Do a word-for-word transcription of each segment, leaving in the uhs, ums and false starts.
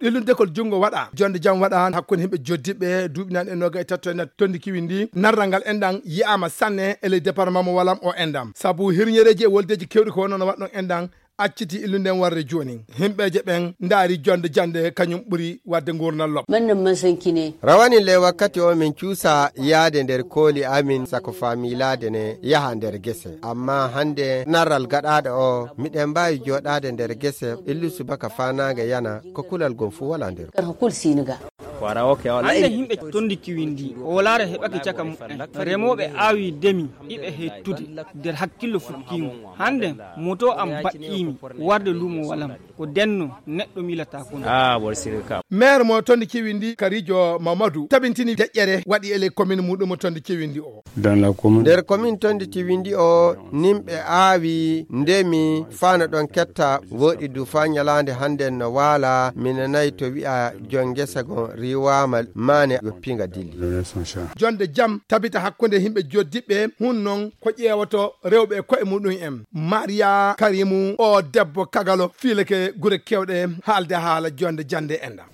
Ɗillun dekol junngo waɗa. Jonde jam waɗa hakkunde himɓe joddiɓe duuɓi nan e noga e tatto e nat tondi kiwindi. Narral ngal enɗan yi'ama sanne e ley département mo Walam o enɗan. Sabu hirñereji e woldeji kewɗi ko wonno no waɗɗon enɗan acciti illunden warde jooni. Himɓeje ɓen ndaari jonde jande kañum ɓuri wadde ngurnal lobbo. Mannan masankine. Rawani le wakkati o min cuusa yaade nder kooli amin sako faamilaade ne yaha nder gese. Amma hande narral gaɗaaɗo o, miɗen mbaawi jooɗaade nder gese, illu subaka faanaange yana, ko kulal gom fuu wala nder. Kar ko kul siniga. Hande himɓe tondi kiwindi, o wolaare heɓake caka muɓɓen. Remooɓe aawi demi, iɓe hettude nder hakkillo fukkiingo. Hande moto am baɗɗiimi warde luumo Walam. Ko denno neɗɗo miilata kono. Ah, bor sirka. Maire mo tondi kiwindi Karijo Mamadou tabintini deƴƴere waɗi e ley commune muɗum mo tondi kiwindi o. Dans la commune. Nder commune tondi kiwindi o, nimɓe aawi, ndemi, fano ɗon ketta, woɗi du fa ñalaande hande no waala, mi nanayi to wi'a jon ngesa gon riwaama maane yoppinga dilli. Jonde jam tabita hakkunde himɓe joddiɓɓe, hun non ko ƴeewoto rewɓe e ko'e muɗum en. Maria Karimu, o debbo kagalo, fiilake gure kewɗe, haalde haala jonde jande enɗan.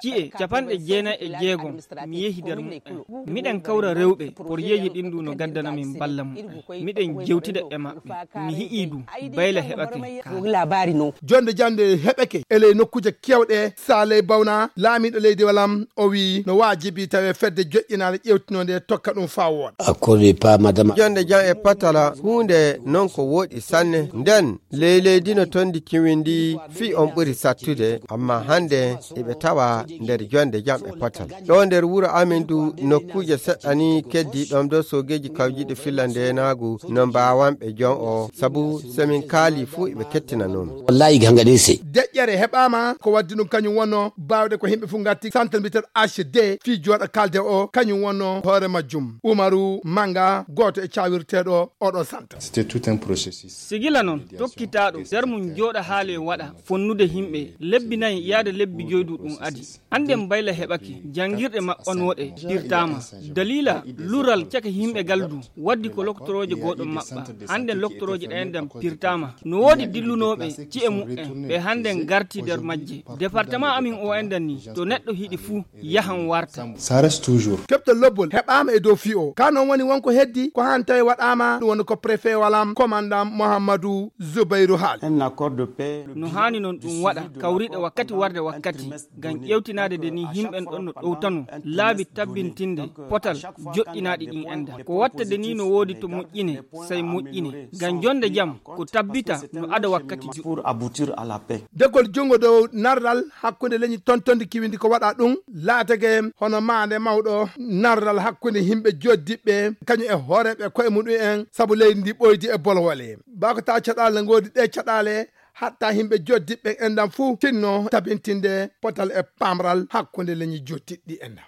Ci'e capanɗe jeenayi e jeegom, mi yehi nder muɓɓen. Miɗen kawra rewɓe, porjeeji ɗin du no gaddana min balla muɓɓen. Miɗen jewtida e maɓɓe. Mi hi'i du, bayla heɓake ka. Jonde jande heɓake, e ley nokkuuje kewɗe, Saley Bawna, laamiiɗo leydi Walam, o wi'i no waajibi tawe fedde joƴƴinaande ƴewtinonde tokka ɗum faa wooɗa. Accordé par madame. Jonde jam e patala, huunde non ko wooɗi sanne. Nden, ley leydi no tondi kiwindi, fii on ɓuri sattude, amma hande eɓe tawa nder jonde jam e patala. Ɗo nder wuro amin du, nokkuuje seɗɗa ni keddi ɗon do soogeeji kawjiiɗi filla ndeenaagu no mbaawanɓe jon o, sabu so min kaali fuu eɓe kettinanoo min. Wallahi ganga ɗin se. Deƴƴere heɓaama ko waddi ɗum kañum wonno baawɗe ko himɓe fof ngatti centre mbiyeteeɗo H D fii jooɗa kalde o kañum wonno hoore majjum. Umaru Manga gooto e cawirteeɗo oɗo centre. C'était tout un processus. Sigila noon tokkitaaɗo nder mum jooɗa haale waɗa fonnude himɓe lebbi nayi yaade lebbi joydu ɗum adi. Annden bayla heɓake, janngirɗe maɓɓanooɗe pirtaama. Daliila lural caka yimɓe galdu waddi ko loktorooje gooɗo maɓɓa. Annden loktorooje ɗayendan pirtaama. No woodi dillunooɓe ci'e muɓɓen, ɓe hannden ngarti nder majje. Departement amin o endan ni, to neɗɗo hiɗi fuu, yahan warta. Ça reste toujours. Keɓtol lobbol heɓaama e dow fii o. Ka non woni wonko heddi, ko han tawi waɗaama, ɗum woni ko préfet Walam, commandant Mouhamadou Zoubairou haali. Un accord de paix. No haani non ɗum waɗa, kawriɗe wakkati warde wakkati. Ngam ƴeewtinaade de ni yimɓen ɗon no ɗowtano laabi tabbintinde potal joɗɗinaaɗi ɗin enda. Ko watta de ni no woodi to moƴƴine, sey moƴƴine. Ngam jonde jam ko tabbita no ada wakkati juɗɗo. Pour aboutir à la paix. Degol junngo dow narral hakkunde leñi tontondi kiwindi ko waɗa ɗum laatake hono maande mawɗo narral hakkunde yimɓe joddiɓɓe kañum e hooreeɓe koye muɗum en sabu leydi ndi ɓoydi e bolwole. Bako ta caɗaale ngoodi ɗe caɗaale hatta yimɓe joddiɓɓe enɗam fuu tinno tabintinde potal e pamral hakkunde leñi jottiɗɗi enɗam.